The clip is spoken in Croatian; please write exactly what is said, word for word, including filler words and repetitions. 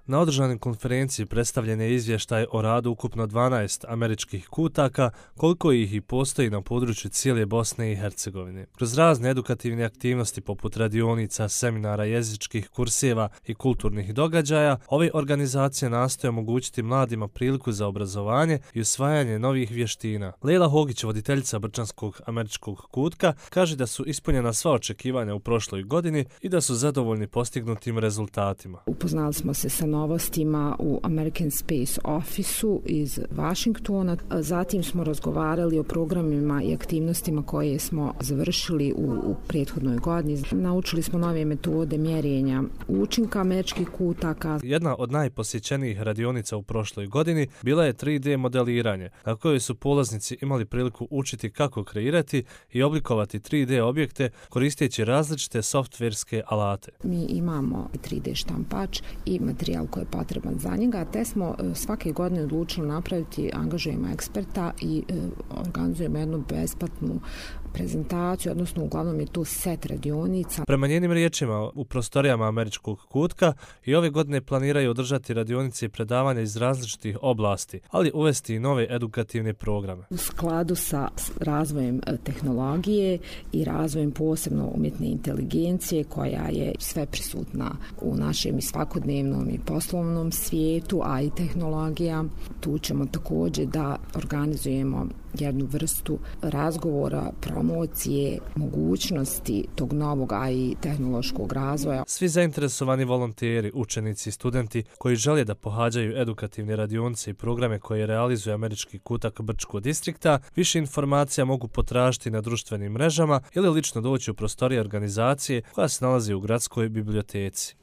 Na održanoj konferenciji predstavljen je izvještaj o radu ukupno dvanaest američkih kutaka, koliko ih i postoji na području cijele Bosne i Hercegovine. Kroz razne edukativne aktivnosti poput radionica, seminara, jezičkih kurseva i kulturnih događaja, ove organizacije nastoje omogućiti mladima priliku za obrazovanje i usvajanje novih vještina. Lejla Hogić, voditeljica Brčanskog američkog kutka, kaže da su ispunjena sva očekivanja u prošloj godini i da su zadovoljni postignutim rezultatima. Upoznali smo se sa novostima u American Space Office-u iz Washingtona. Zatim smo razgovarali o programima i aktivnostima koje smo završili u, u prethodnoj godini. Naučili smo nove metode mjerenja učinka američkih kutaka. Jedna od najposjećenijih radionica u prošloj godini bila je tri D modeliranje, na kojoj su polaznici imali priliku učiti kako kreirati i oblikovati tri D objekte koristeći različite softverske alate. Mi imamo tri D štampač i materijal koji je potreban za njega, te smo svake godine odlučili napraviti, angažujemo eksperta i e, organizujemo jednu besplatnu prezentaciju, odnosno uglavnom je to set radionica. Prema njenim riječima, u prostorijama američkog kutka i ove godine planiraju održati radionice i predavanja iz različitih oblasti, ali uvesti i nove edukativne programe. U skladu sa razvojem tehnologije i razvojem posebno umjetne inteligencije koja je sve prisutna u našem i svakodnevnom i poslovnom svijetu, a i tehnologija. Tu ćemo također da organizujemo jednu vrstu razgovora, promocije, mogućnosti tog novog, a i tehnološkog razvoja. Svi zainteresovani volonteri, učenici i studenti koji žele da pohađaju edukativne radionice i programe koje realizuje američki kutak Brčkog distrikta, više informacija mogu potražiti na društvenim mrežama ili lično doći u prostorije organizacije koja se nalazi u gradskoj biblioteci.